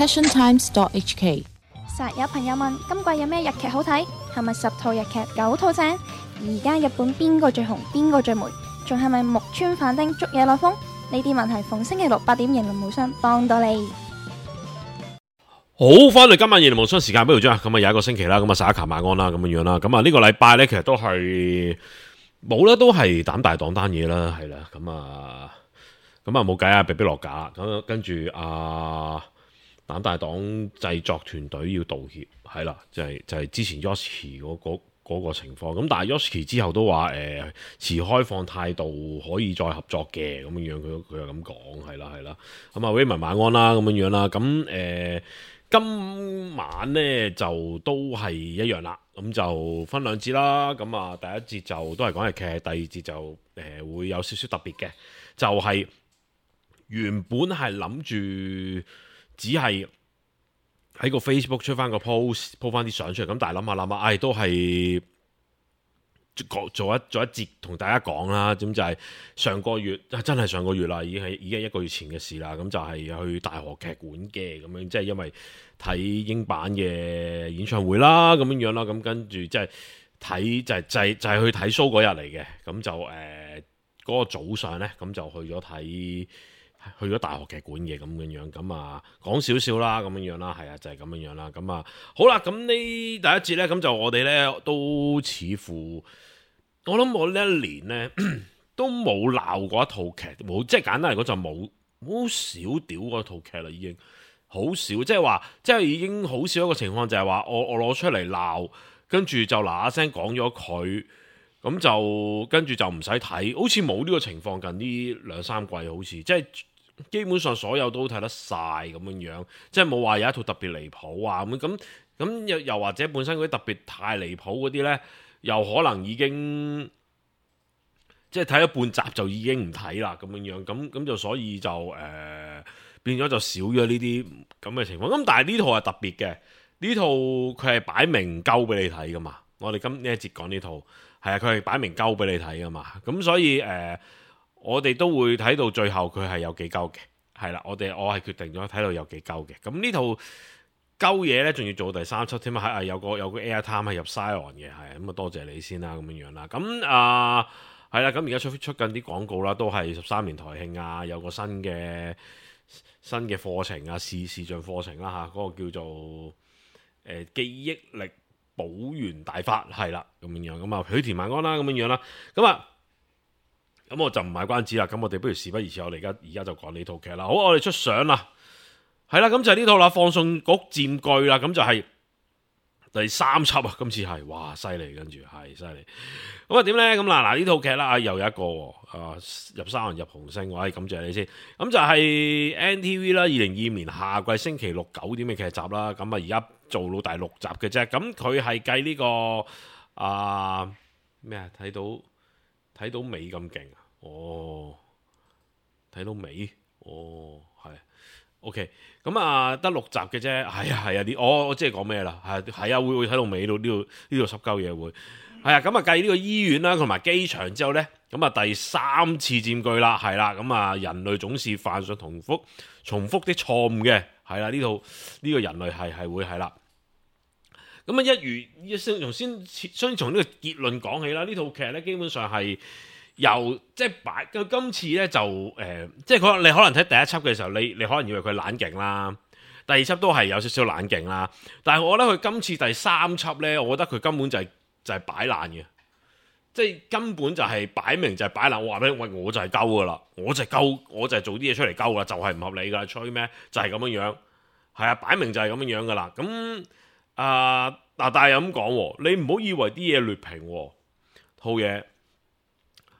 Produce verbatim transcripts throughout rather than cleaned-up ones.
passion times dot h k。實有朋友問今季有咩日劇好睇？係咪十套日劇九套正？而家日本邊個最紅？邊個最霉？仲係咪木村反町捉野內風？呢啲問題逢星期六八點迎龍無雙幫到你。好，翻嚟今晚迎龍無雙時間，不如將咁啊有一個星期啦，咁啊十一琴晚安啦，咁樣樣啦，咁啊呢個禮拜咧其實都係冇啦，都係膽大黨單嘢啦，係啦，咁啊咁啊冇計啊，被逼落架，咁跟住啊。膽大黨製作團隊要道歉，係啦，就係、是、就係、是、之前 Yoshiki 嗰、那個那個情況，咁但係 Yoshiki 之後都話誒持開放態度，可以再合作嘅咁樣樣，佢佢又咁講，係啦係啦，咁啊 Raymond 晚安啦咁樣樣啦，咁誒、呃、今晚咧就都係一樣啦，咁就分兩節啦，咁啊第一節就都係講日劇，第二節就誒、呃、會有少少特別嘅，就係、是、原本係諗住。只係喺個 Facebook 出翻個 post， po 翻啲相出嚟，咁但係諗下諗下，唉、哎，都係做一做一節同大家講啦。咁就係上個月，真係上個月啦，已經係已經係一個月前嘅事啦。咁就係去大河劇館嘅，咁樣即係因為睇英版嘅演唱會啦，咁樣樣啦。咁跟住即係睇就係、是、就係、是、就係、是、去睇 show 嗰日嚟嘅。咁就誒嗰、呃那個早上咧，咁就去咗睇。去咗大學劇館嘅咁樣樣，咁啊講少少啦，咁樣樣啦，係啊，就係、是、咁樣樣啦，咁啊好啦，咁呢第一節呢，咁就我哋呢都似乎，我諗我呢一年呢都冇鬧過一套劇，冇即係簡單嚟講就冇好少屌嗰套劇啦，已經好少，即係話即係已經好少一個情況就係話我我攞出嚟鬧，跟住就嗱嗱聲講咗佢。咁就跟住就唔使睇，好似冇呢個情況，近呢兩三季好似即係基本上所有都睇得晒咁樣樣，即係冇話有一套特別離譜啊咁咁咁又又或者本身嗰啲特別太離譜嗰啲呢，又可能已經即係睇咗半集就已經唔睇啦咁樣樣，咁咁就所以就誒、呃、變咗就少咗呢啲咁嘅情況。咁但係呢套係特別嘅，呢套佢係擺明鳩俾你睇噶嘛。我哋今呢一節講呢套。係啊，佢係擺明鳩俾你睇噶嘛，咁所以誒、呃，我哋都會睇到最後佢係有幾鳩嘅，係啦，我哋我係決定咗睇到有幾鳩嘅，咁呢套鳩嘢咧，仲要做第三輯添啊，係有個有個 Airtime 係入 Scion 嘅，係咁啊，多謝你先啦，咁樣樣啦，咁啊係啦，咁而家出出緊啲廣告啦，都係十三年台慶啊，有個新嘅新嘅課程啊，視視像課程啦嚇，嗰、那個叫做誒、呃、記憶力。保元大法係啦，咁樣樣咁啊，許田晚安啦，咁樣樣啦，咁啊，咁我就唔賣關子啦，咁我哋不如事不宜遲，我哋而家而家就講呢套劇啦。好，我哋出相啦，係啦，咁就係呢套啦，放送局佔據啦，咁就係第三輯啊，今次係哇犀利，跟住係犀利。咁啊點咧？咁嗱嗱呢套劇啦，又有一個啊入三人入紅星，我係感謝你先。咁就係 N T V 啦，二零二五年夏季星期六九點嘅劇集啦。咁啊而家做到第六集嘅啫。咁佢係計呢個啊咩啊？睇到睇到尾咁勁啊！哦，睇到尾哦，係 OK。咁啊得六集嘅啫。係啊係啊，啲我我即係講咩啦？係係啊，會會睇到尾到呢度呢度濕鳩嘢會。係啊，咁啊計呢個醫院啦，同埋機場之後呢，咁啊第三次佔據啦，係啦，咁啊人類總是犯上重複重複的錯誤嘅，係啦，呢套呢個人類係係會係啦。咁啊一如一先從先先從呢個結論講起啦，呢套劇呢，基本上係由即係擺到今次呢，就誒、呃，即係可能你可能睇第一輯嘅時候，你你可能以為佢冷勁啦。第二輯都係有少少冷勁啦，但係我覺得佢今次第三輯呢，我覺得佢根本就係、是。就係擺爛嘅，即係根本就係擺明就係擺爛。我話俾你，喂，我就係鳩噶啦，我就係鳩，我就係做啲嘢出嚟鳩噶啦，就係、是、唔合理噶，吹咩？就係、是、咁樣樣，係啊，擺明就係咁樣樣噶啦。咁啊嗱，但係又咁講，你唔好以為啲嘢劣評套嘢。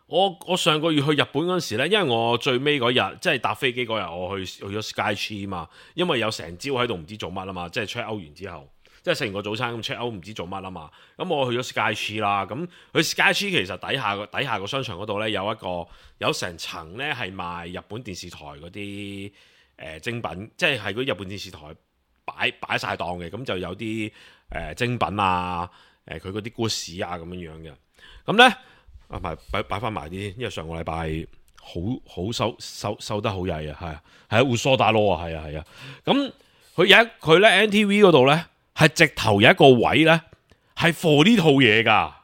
我我上個月去日本嗰陣時咧，因為我最尾嗰日即係搭飛機嗰日，我去去咗 Skytree 嘛，因為有成朝喺度唔知做乜啊嘛，即係 check out 完之後。即係食完個早餐咁 check out 唔知做乜啊嘛，咁我去咗 Skytree 啦，咁去 Skytree 其實底下個底下個商場嗰度咧有一個有成層咧係賣日本電視台嗰啲誒精品，即係係嗰日本電視台擺擺曬檔嘅，咁就有啲誒、呃、精品啊，誒佢嗰啲故事啊咁樣樣嘅，咁咧啊埋擺擺翻埋啲，因為上個禮拜好好收收收得好曳啊，係啊係啊，會梳打囉啊，係啊係啊，咁。佢有一佢咧 N T V 嗰度咧係直頭有一個位咧係 for 呢套嘢噶，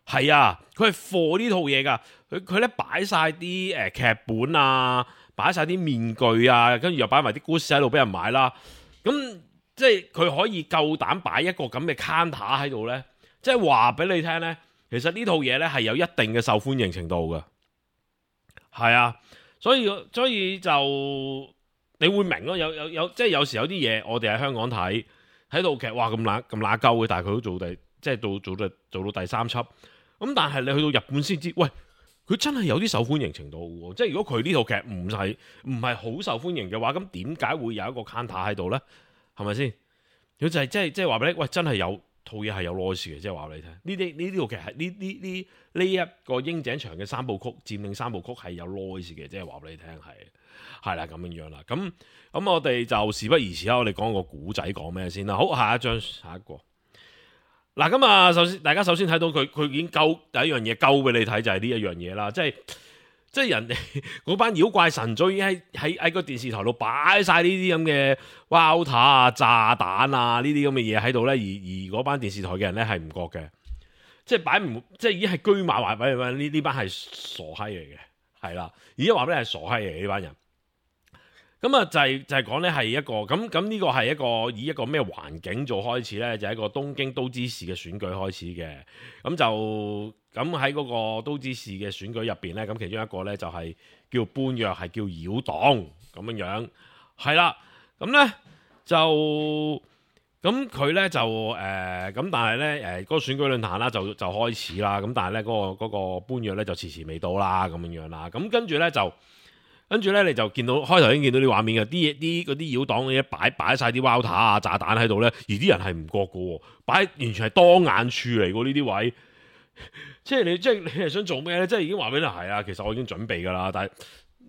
係啊，佢係 for 呢套嘢噶，佢佢咧擺晒啲誒劇本啊，擺晒啲面具啊，跟住又擺埋啲故事喺度俾人買啦，咁即係佢可以夠膽擺一個咁嘅 counter 喺度咧，即係話俾你聽咧，其實呢套嘢咧係有一定嘅受歡迎程度嘅，係啊，所以所以就你會明咯，有有有即係有時有啲嘢我哋喺香港睇睇套劇，哇咁乸咁乸鳩嘅，但係佢都做第即係到做到做到第三輯，咁但係你去到日本先知，喂，佢真係有啲受歡迎程度喎，即係如果佢呢套劇唔係唔係好受歡迎嘅話，咁點解會有一個 counter 喺度咧？係咪先？佢就係即係即係話俾你，喂，真係有套嘢係有 noise 嘅，即係話俾你聽。呢啲呢呢套劇係呢呢呢呢一個櫻井翔嘅三部曲佔領三部曲係有 noise 嘅，即係話俾你聽係係啦咁樣樣啦。咁咁我哋就事不宜遲啦，我哋講個古仔講咩先啦。好，下一張下一個。嗱咁啊，首先大家首先睇到佢佢已經勾第一樣嘢勾俾你睇就係呢一樣嘢啦，即係。即係人哋嗰班妖怪神早已經喺喺喺個電視台度擺晒呢啲咁嘅 Walter 啊、炸彈啊呢啲咁嘅嘢喺度咧，而而嗰班電視台嘅人咧係唔覺嘅，即係擺唔即係已經係居馬話俾你聽，呢呢班係傻閪嚟嘅，係啦，而家話俾你係傻閪嚟嘅呢班人。咁啊就係就係講咧係一個咁咁呢個係一個以一個咩環境做開始咧，就係一個東京都知事嘅選舉開始嘅，咁就。咁喺嗰個都知事嘅選舉入邊咧，咁其中一個咧就係叫搬躍，係叫妖黨咁樣樣，係啦。咁咧就咁佢咧就誒咁、呃，但係咧誒嗰個選舉論壇啦就就開始啦。咁但係咧嗰個嗰、嗰個搬躍咧就遲遲未到啦，咁樣樣啦。咁跟住咧就跟住咧你就見到開頭已經見到啲畫面嘅，啲嘢啲嗰啲妖黨嘅嘢擺擺曬啲 Walter 啊炸彈喺度咧，而啲人係唔覺嘅喎，擺完全係當眼處嚟嘅呢啲位。即係你，即係你係想做咩咧？即係已經話俾你係啊，其實我已經準備噶啦。但係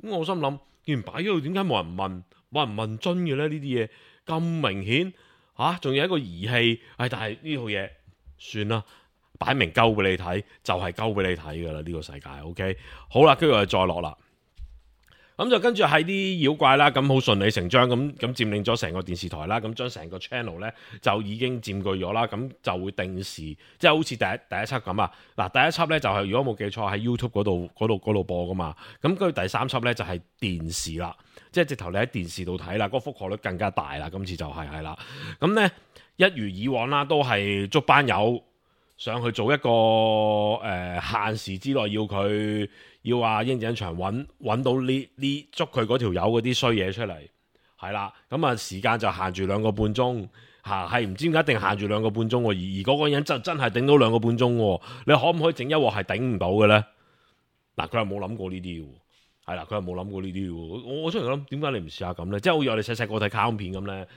咁我心諗，既然擺咗度，點解冇人問？冇人問津嘅咧？呢啲嘢咁明顯吓，仲有一個儀器。唉，但係呢套嘢算啦，擺明鳩俾你睇，就係鳩俾你睇噶啦。呢個世界 ，OK， 好啦，跟住我哋再落啦。咁就跟住係啲妖怪啦，咁好順理成章咁咁佔領咗成個電視台啦，咁將成個 channel 咧就已經佔據咗啦，咁就會定時，即係好似第一第一輯咁啊。嗱，第一輯咧就係、是、如果冇記錯喺 YouTube 嗰度嗰度嗰度播噶嘛，咁跟住第三輯咧就係電視啦，即係直頭你喺電視度睇啦，嗰、那個覆蓋率更加大啦。今次就係係啦，咁咧一如以往啦，都係捉班友上去做一個誒、呃、限時之內要佢。要話櫻井翔揾揾到呢呢捉佢嗰條友嗰啲衰嘢出嚟，係啦，咁啊時間就限住兩個半鐘嚇，係唔知點解一定限住兩個半鐘喎，而而嗰個人就真係頂到兩個半鐘喎，你可唔可以整一鑊係頂唔到嘅咧？嗱，佢又冇諗過呢啲喎，係啦，佢又冇諗過呢啲喎，我我出嚟諗點解你唔試下咁咧？即係好似我哋細細個睇卡通片咁咧。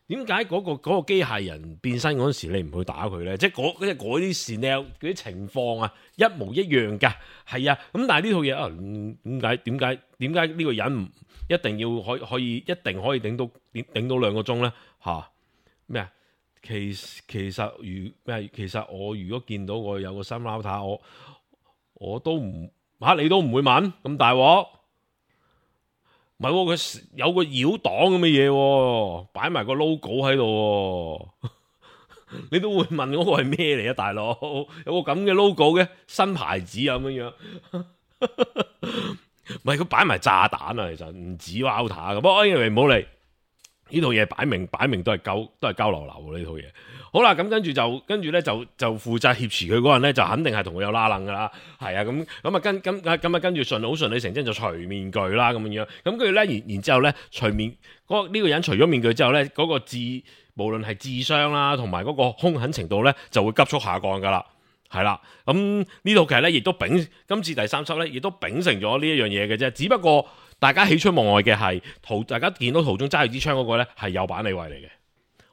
點解嗰個嗰、嗰個機械人變身嗰陣時你唔去打佢咧？即係嗰即係嗰啲 scenario 嗰啲情況啊，一模一樣㗎，係啊。咁但係呢套嘢啊，點解點解點解呢個人唔一定要可以可以一定可以頂到頂頂到兩個鐘咧？嚇咩啊？其其實如咩？其實我如果見到我有個新 Walter，我我都唔嚇你都唔會問咁大鑊。唔係喎，佢有個妖黨咁嘅嘢，擺埋個 logo 喺度，你都會問嗰個係咩嚟啊，大佬？有個咁嘅 logo 嘅新牌子咁樣樣，唔係佢擺埋炸彈啊，其實唔止 Walter 咁。不過 anyway 唔好理呢套嘢，擺明擺明都係交都係交流流呢套嘢。好啦，咁跟住就跟住咧就就負責挾持佢嗰人咧，就肯定係同佢有拉楞噶啦，係啊，咁咁啊跟跟咁啊跟住順好順理成章就除面具啦咁樣樣，咁跟住咧然然之後咧除面嗰呢、這個人除咗面具之後咧，嗰、那個智無論係智商啦同埋嗰個兇狠程度咧就會急速下降噶啦，係啦，咁呢套劇咧亦都秉今次第三輯咧亦都秉承咗呢一樣嘢嘅啫，只不過大家喜出望外嘅係途大家見到途中揸住支槍嗰個咧係有板李維嚟嘅。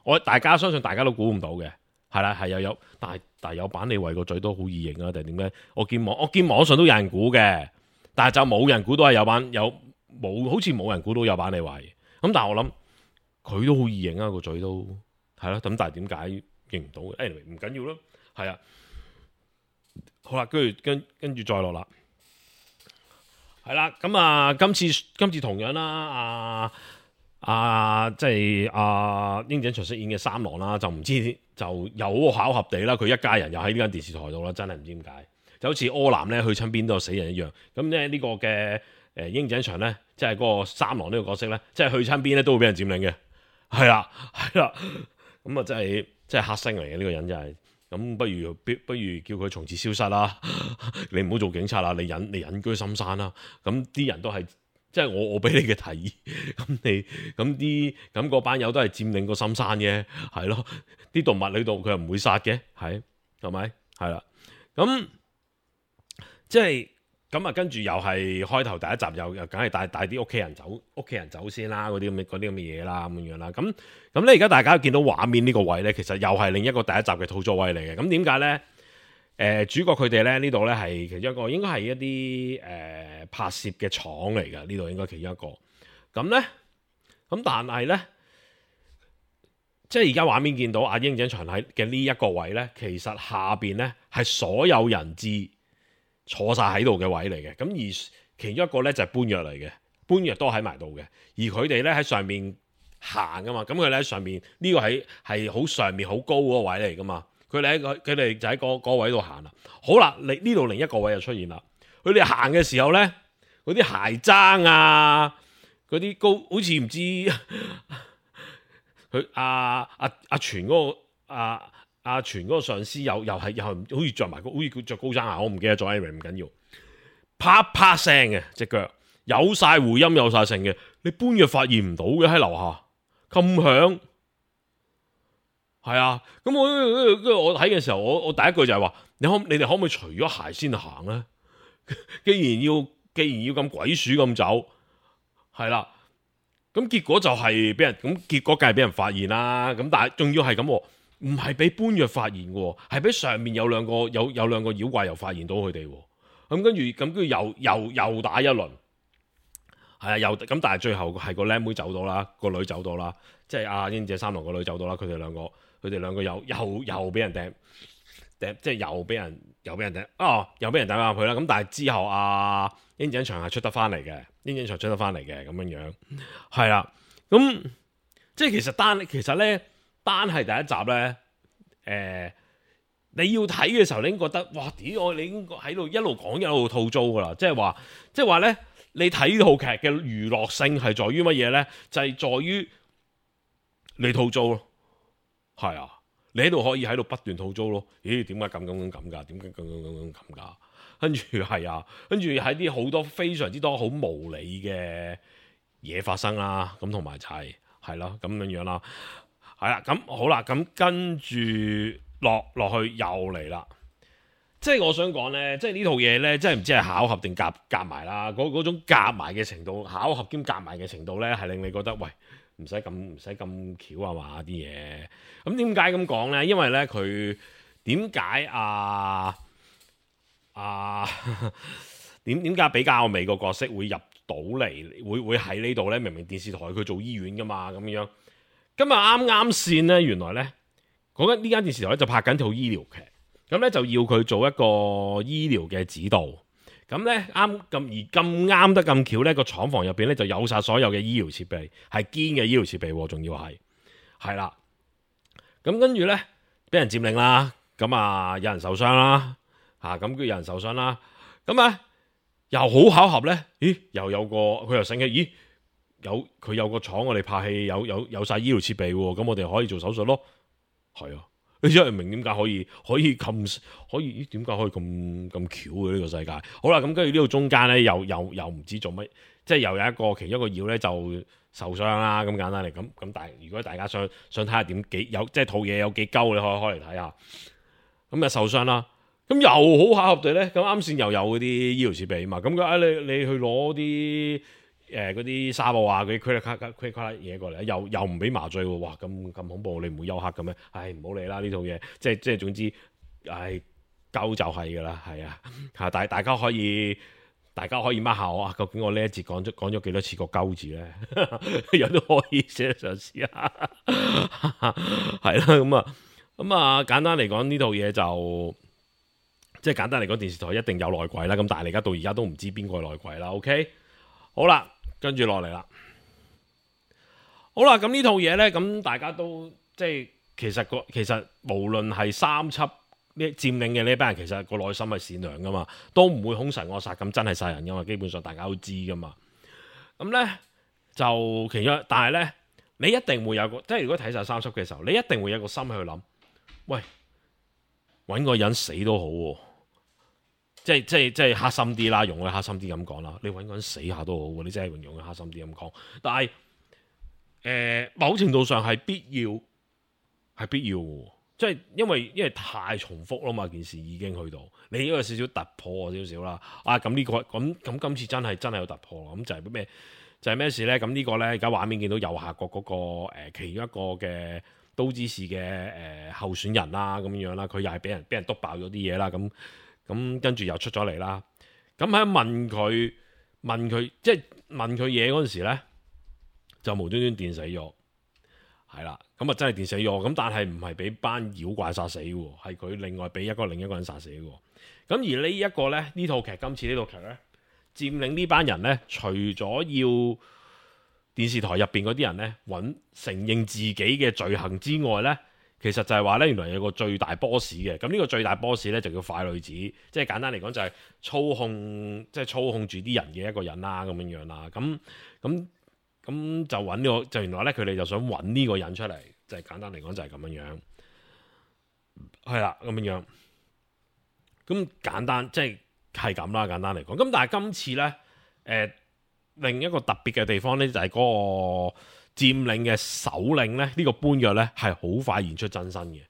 我大家相信大家都估唔到嘅，係啦，係又有，但係但係有板李維個嘴都好易認啊，定係點咧？我見網我見網上都有人估嘅，但係就冇人估到係有板有冇，好似冇人估到有板李維。咁但係我諗佢都好易認啊，個嘴都係咯。咁但係點解認唔到嘅？anyway 唔緊要咯，係啊。好啦，跟住跟跟住再落啦，係啦。咁啊，今次今次同樣啦，啊。啊，即係阿鷹井翔飾演嘅三郎啦，就唔知就有巧合地啦，佢一家人又喺呢間電視台度啦，真係唔知點解，就好似柯南咧去親邊都有死人一樣。咁咧呢個嘅誒鷹井翔咧，即係嗰個三郎呢個角色咧，即係去親邊咧都會俾人佔領嘅，係啦係啦，咁啊真係真係黑星嚟嘅呢個人真係。咁不如不不如叫佢從此消失啦，你唔好做警察啦，你隱你隱居深山啦。咁啲人都係。即係我我俾你嘅提議，咁你咁啲咁嗰班友都係佔領個深山嘅，係咯，啲動物喺度佢又唔會殺嘅，係係咪？係啦，咁即係咁啊，跟住又係開頭第一集又又梗係帶帶啲屋企人走，屋企人走先啦，嗰啲咁嘅嗰啲咁嘅嘢啦，咁樣啦，咁咁咧而家大家見到畫面呢個位咧，其實又係另一個第一集嘅套座位嚟嘅，咁點解咧？誒、呃、主角佢哋咧呢度咧係其中一個，應該係一啲誒、呃、拍攝嘅廠嚟㗎，呢度應該其中一個。咁咧，咁但係咧，即係而家畫面見到阿鷹井翔喺嘅呢一個位咧，其實下邊咧係所有人質坐晒喺度嘅位嚟嘅。咁而其中一個咧就係搬藥嚟嘅，搬藥都喺埋度嘅。而佢哋咧喺上面行㗎嘛，咁佢哋喺上面呢、這個係係好上面好高嗰個位嚟㗎嘛。佢哋喺佢哋就喺嗰嗰位度行啦。好啦，你呢度另一個位就出現啦。佢哋行嘅時候咧，嗰啲鞋踭啊，嗰啲高好似唔知佢阿阿阿全嗰個阿阿全嗰個上司又又係又係好似着埋個好似佢着高踭鞋，我唔記得咗 anyway 唔緊要，啪啪聲嘅隻腳，有晒回音有晒聲嘅，你搬藥發現唔到嘅喺樓下咁響。係啊，咁我跟住我睇嘅時候，我我第一句就係話：你可你哋可唔可以除咗鞋先行咧？既然要既然要咁鬼鼠咁走，係啦，咁結果就係俾人咁結果梗係俾人發現啦。咁但係仲要係咁，唔係俾搬藥發現嘅，係俾上面有兩個有有兩個妖怪又發現到佢哋。咁跟住咁跟住又又又打一輪，係啊，又咁但係最後係個靚妹走到啦，個女走到啦，即係阿鷹井三郎個女走到啦，佢哋兩個。佢哋兩個又又又俾人掟掟，即係又俾人又俾人掟，哦，又俾人掟入去啦。咁但係之後阿鷹井翔係出得翻嚟嘅，鷹井翔出得翻嚟嘅咁樣樣，係啦。咁即係其實單其實咧單係第一集咧，誒、呃、你要睇嘅時候，你已經覺得哇屌！我你已經喺度一路講一路吐槽噶啦，即係話即係話咧，你睇套劇嘅娛樂性係在於乜嘢咧？就係、是、在於你吐槽咯。係啊，你喺度可以喺度不斷吐槽咯。咦？點解咁咁咁咁㗎？點解咁咁咁咁㗎？跟住係啊，跟住喺啲好多非常之多好無理嘅嘢發生啦。咁同埋就係係咯咁樣樣啦。係啦，咁好啦，咁跟住落落去又嚟啦。即係我想講咧，即係呢套嘢咧，即係唔知係巧合定夾夾埋啦。嗰嗰種夾埋嘅程度，巧合兼夾埋嘅程度咧，係令你覺得喂。唔使咁唔使咁巧啊嘛啲嘢，咁點解咁講咧？因為咧佢點解啊啊點點解比較美個角色會入到嚟，會會喺呢度咧？明明電視台佢做醫院噶嘛，咁樣今日啱啱線咧，原來咧講緊呢間電視台咧就拍緊套醫療劇，咁咧就要佢做一個醫療嘅指導。咁咧啱咁而咁啱得咁巧咧，個廠房入邊咧就有晒所有嘅醫療設備，係堅嘅醫療設備，仲要係係啦。咁跟住咧，俾人佔領啦，咁啊有人受傷啦，嚇咁佢有人受傷啦，咁啊又好巧合咧，咦又有個佢又醒起，咦有佢有個廠我哋拍戲有有有曬醫療設備喎，咁我哋可以做手術咯，係啊。你真係明點解可以可以咁可以？點解可以咁咁巧嘅呢個世界？好啦，咁跟住呢度中間咧，又又又唔知做乜，即係又有一個其中一個妖咧就受傷啦。咁簡單嚟咁咁，但係如果大家想想睇下點幾有即係套嘢有幾鳩，你可以開嚟睇下。咁啊受傷啦，咁又好巧合地咧，咁啱先又有嗰啲醫療設備啊嘛。咁佢啊你你去攞啲。誒嗰啲沙布啊，嗰啲 credit card credit card 嘢過嚟，又又唔俾麻醉喎，哇咁咁恐怖，你唔會休克嘅咩？唉唔好理啦呢套嘢，即係即係總之，唉鳩就係㗎啦，係啊嚇，大大家可以大家可以 mark 下我啊，究竟我呢一節講咗講咗幾多次個鳩字咧？有都可以寫上試下，係啦咁啊咁啊簡單嚟講呢套嘢就即係簡單嚟講電視台一定有內鬼啦，咁但係而家到而家都唔知邊個係內鬼啦。OK， 好啦。跟住落嚟啦，好啦，咁呢套嘢呢，咁大家都即係其實個其實無論係三輯呢佔領嘅呢班人，其實個內心係善良噶嘛，都唔會兇神惡煞咁真係殺人噶嘛，基本上大家都知噶嘛。咁呢，就其中，但係呢，你一定會有個，即係如果睇晒三輯嘅時候，你一定會有個心去諗，喂，揾個人死都好喎、啊。即係即係即係黑心啲啦，用佢黑心啲咁講啦。你揾個人死下都好喎，你真係用佢黑心啲咁講。但係誒、呃，某程度上係必要，係必要嘅。即係因為因為太重複啦嘛，件事已經去到你呢個少少突破少少啦。啊，咁呢、這個咁咁今次真係真係有突破。咁就係咩？就係、是、咩事咧？咁呢個咧，而家畫面見到右下角嗰、那個誒、呃，其中一個嘅都知事嘅誒、呃、候選人啦，咁樣啦，佢又係俾人俾人篤爆咗啲嘢啦，咁。咁跟住又出咗嚟啦，咁喺問佢問佢即係問佢嘢嗰陣時咧，就無端端電死咗，係啦，咁啊真係電死咗，咁但係唔係俾班妖怪殺死喎，係佢另外俾一個另一個人殺死喎。咁而呢一個咧，呢套劇今次呢套劇咧，佔領呢班人咧，除咗要電視台入邊嗰啲人咧揾承認自己嘅罪行之外咧。其實就係話咧，原來有個最大 boss 嘅，咁呢個最大 boss 咧就叫快女子，即係簡單嚟講就係操控，即係操控住啲人嘅一個人啦，咁樣樣啦，咁咁咁就揾呢個，就原來咧佢哋就想揾呢個人出嚟，就係簡單嚟講就係咁樣樣，係啦，咁樣樣，咁簡單即係係咁啦，簡單嚟講，咁但係今次咧，誒、呃、另一個特別嘅地方咧就係嗰個。佔領嘅首領咧，呢、這個般若咧係好快現出真身嘅，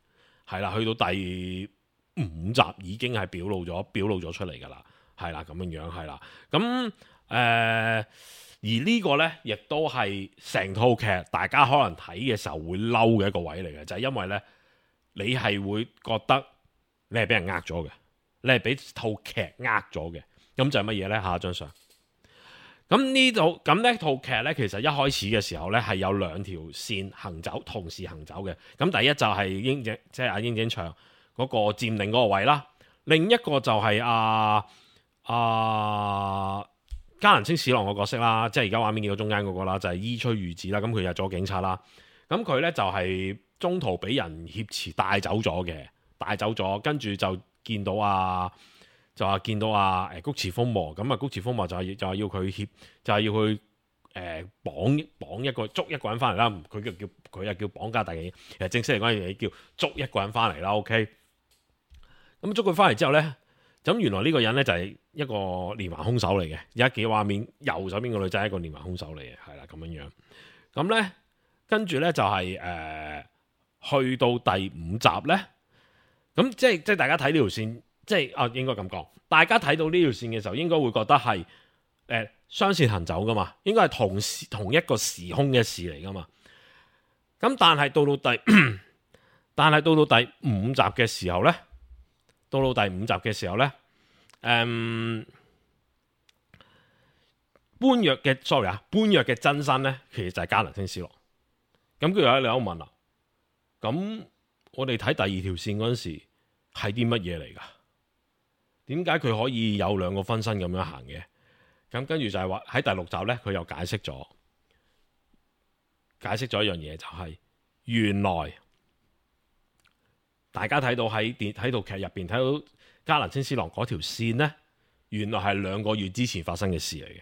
係啦，去到第五集已經係表露咗，表露咗出嚟噶啦，係啦咁樣樣，係啦，咁誒、呃，而呢個咧亦都係成套劇大家可能睇嘅時候會嬲嘅一個位嚟嘅，就係、是、因為咧你係會覺得你係俾人呃咗嘅，你係俾套劇呃咗嘅，咁就係乜嘢咧？下一張相。咁呢套咁呢套劇咧，其實一開始嘅時候咧係有兩條線行走，同時行走嘅。咁第一就係英井，即係阿英井祥嗰個佔領嗰個位啦。另一個就係阿阿嘉能清史郎個角色啦，即係而家畫面見到中間嗰個啦，就係、是、伊吹裕子啦。咁佢入咗警察啦。咁佢咧就係中途俾人挾持帶走咗嘅，帶走咗，跟住就見到阿。就話見到啊誒菊池風磨，咁啊菊池風磨就係就係要佢協，就係要佢誒綁綁一個捉一個人翻嚟啦。佢叫叫佢又叫綁架，但係其實正式嚟講嘢叫捉一個人翻嚟啦。OK，咁捉佢翻嚟之後咧，咁原來呢個人咧就係一個連環兇手嚟嘅。而家幾畫面右手邊個女仔係一個連環兇手嚟嘅，係啦咁樣樣。咁咧跟住咧就係、是、誒、呃、去到第五集咧，咁即係即係大家睇呢條線。即係啊，應該咁講，大家睇到呢條線嘅時候，應該會覺得係誒雙線行走噶嘛，應該係同時同一個時空嘅事嚟噶嘛。咁但係到到第，但係到到第五集嘅時候咧，到到第五集嘅時候咧，誒、嗯，般若嘅 sorry 啊，般若嘅真身咧，其實就係嘉能清史郎。咁佢有你有問啦，咁我哋睇第二條線嗰陣時係啲乜嘢嚟噶？點解佢可以有兩個分身咁樣行嘅？咁跟住就係話喺第六集咧，佢又解釋咗，解釋咗一樣嘢，就係原來大家睇到喺電喺套劇入邊睇到嘉能清史郎嗰條線咧，原來係兩個月之前發生嘅事嚟嘅。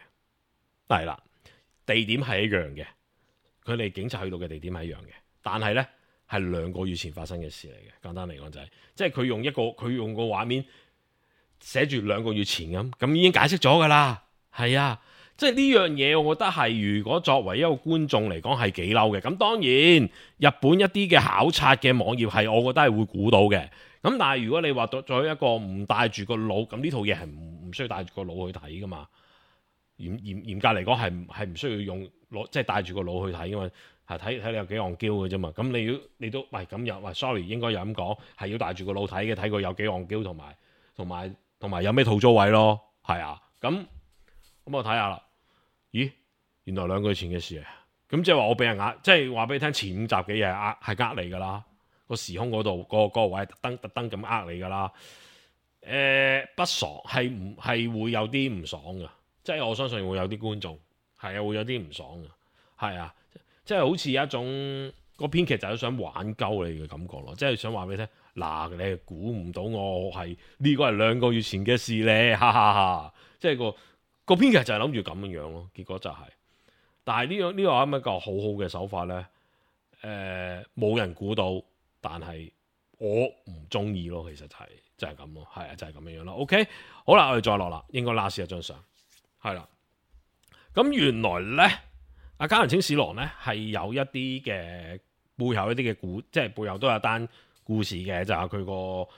係啦，地點係一樣嘅，佢哋警察去到嘅地點係一樣嘅，但係咧係兩個月前發生嘅事嚟嘅。簡單嚟講就係、是，即係佢用一個佢用個畫面。寫住兩個月前咁，咁已經解釋咗噶啦，係啊，即係呢樣嘢，我覺得係如果作為一個觀眾嚟講係幾嬲嘅。咁當然，日本一啲嘅考察嘅網頁係，我覺得係會估到嘅。咁但係如果你話作咗一個唔帶住個腦，咁呢套嘢係唔唔需要帶住個腦去睇噶嘛？嚴嚴嚴格嚟講係係唔需要用攞即係帶住個腦去睇噶嘛？係睇睇你有幾戇嬌嘅啫嘛？咁你要你都喂咁又喂 sorry 應該有咁講，係要帶住個腦睇嘅，睇佢有幾戇嬌同埋同埋。同埋有咩套租位咯，係啊，咁咁我睇下啦。咦，原來兩個月前嘅事啊，咁即係話我俾人呃，即係話俾你聽前五集嘅嘢係呃係呃你噶啦，個時空嗰度個嗰個位特登特登咁呃你噶啦。誒、呃、不爽係唔係會有啲唔爽噶，即係我相信會有啲觀眾係啊會有啲唔爽噶，係啊，即係好似一種個編劇就係想玩鳩你嘅感覺咯，即係想話俾你聽，嗱，你係估唔到我係呢個係兩個月前嘅事咧，哈哈哈！即係個個編劇就係諗住咁樣樣咯，結果就係、是，但係呢樣呢個係一個好好嘅手法咧，誒、呃、冇人估到，但係我唔中意咯，其實就係、是、就係咁咯，係啊，就係、是、咁樣樣咯。OK， 好啦，我哋再落啦，應該 last 一張相，係啦，咁原來咧。阿加藤清史郎咧係有一啲嘅背後一啲嘅故，即係背後都有單故事嘅，就係佢個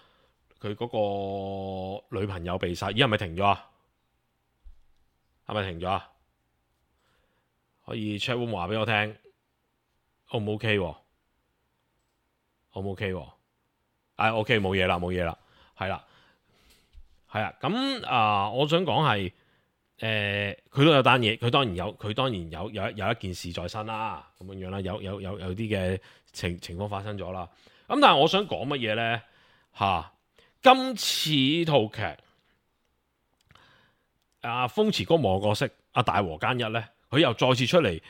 佢嗰個女朋友被殺。咦，係咪停咗啊？係咪停咗啊？可以 chat room 話俾我聽，O 唔 OK？O 唔 OK？啊 OK， 冇嘢啦，冇嘢啦，係啦，係啊。咁啊、呃，我想講係。誒，佢、呃、都有單嘢，佢當然有，佢當然有有有一件事在身啦，咁樣樣啦，有有有有啲嘅情情況發生咗啦。咁但係我想講乜嘢咧？嚇、啊，今次套劇，阿風池哥望角色阿大和奸一咧，佢又再次出嚟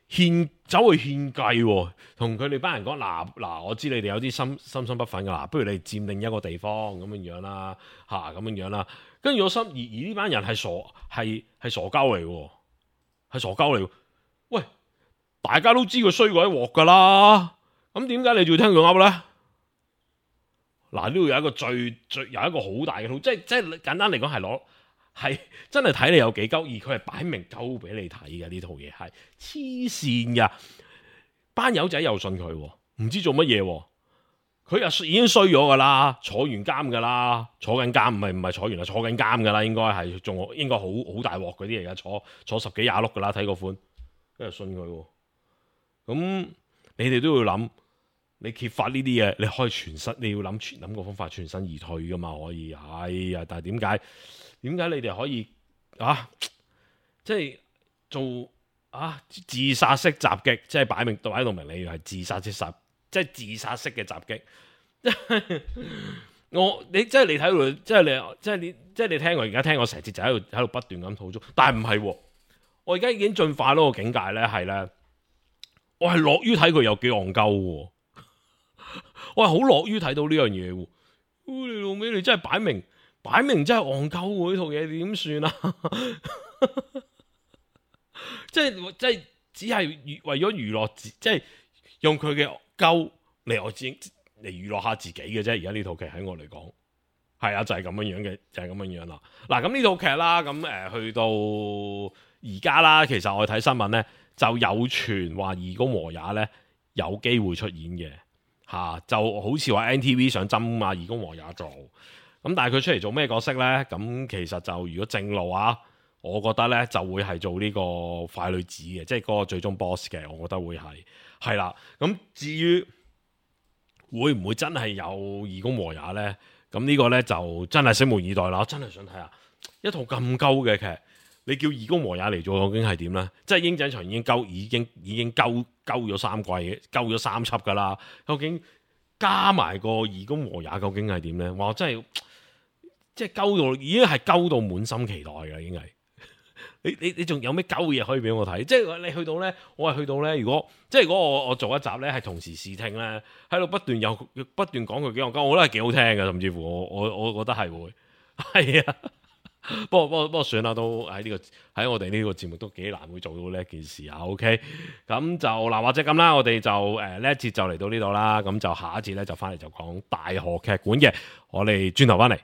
獻走去獻計，同佢哋班人講嗱嗱，我知你哋有啲心心心不忿噶啦，不如你佔領一個地方咁樣樣啦，嚇咁樣樣啦。跟住我心而而呢班人係傻係係傻鳩嚟喎，係傻鳩嚟喎。喂，大家都知佢衰過一鑊噶啦，咁點解你仲要聽佢噏咧？嗱，呢度有一個最最有一個好大嘅套，即係即係簡單嚟講係攞係真係睇你有幾鳩，而佢係擺明鳩俾你睇嘅，呢套嘢係黐線噶，班友仔又信佢，唔知做乜嘢。佢又已經衰咗噶啦，坐完監噶啦，坐緊監唔係唔係坐完啦，坐緊監噶啦，應該係仲應該好好大鑊嗰啲嚟噶，坐坐十幾廿碌噶啦，睇個款，跟住信佢。咁你哋都要諗，你揭發呢啲嘢，你可以全身，你要諗全諗個方法全身而退噶嘛，可以。哎呀，但係點解點解你哋可以啊？即係做啊自殺式襲擊，即係擺明擺到明你係自殺式殺。即係自殺式嘅襲擊，我你即係你睇到，即係你即係你即係你聽我而家聽我成節就喺度喺度不斷咁吐槽，但係唔係，我而家已經進化到個境界咧，係咧，我係樂於睇佢有幾戇鳩，我係好樂於睇到呢樣嘢。你老味，你真係擺明擺明真係戇鳩喎！呢套嘢點算啊？即係即係只係為咗娛樂，即係用佢嘅。鳩嚟我自嚟娛樂下自己嘅啫，而家呢套劇喺我嚟講係啊，就係、是、咁樣樣嘅，就係、是、咁樣樣啦。嗱，咁呢套劇啦，咁誒、呃、去到而家啦，其實我睇新聞咧就有傳話義工和也咧有機會出演嘅嚇、啊，就好似話 N T V 想針啊義工和也做，咁但係佢出嚟做咩角色咧？咁其實就如果正路啊，我覺得咧就會係做呢個快女子嘅，即係嗰個最終 boss 嘅，我覺得會係。係啦，咁至於會唔會真係有義工和也呢？咁呢個呢，就真係拭目以待啦！我真係想睇下一套咁鳩嘅劇，你叫義工和也嚟做，究竟係點呢？即係鷹仔場已經鳩，已經已經鳩鳩咗三季，鳩咗三輯噶啦。究竟加埋個義工和也，究竟係點呢？哇！真係即係鳩到，已經係鳩到滿心期待嘅，已經係。你你你仲有咩鳩嘢可以俾我睇？即係你去到咧，我係去到咧。如果即係如果我我做一集咧，係同時視聽咧，喺度不斷有不斷講佢幾戇鳩，我覺得係幾好聽嘅，甚至乎我我我覺得係會係啊。不過不過不過算啦，都喺呢、這個喺我哋呢個節目都幾難會做到呢一件事啊。OK，咁就嗱或者咁啦，我哋就誒呢一節就嚟到呢度啦。咁就下一節咧就翻嚟就講大河劇館嘅，我哋轉頭翻嚟。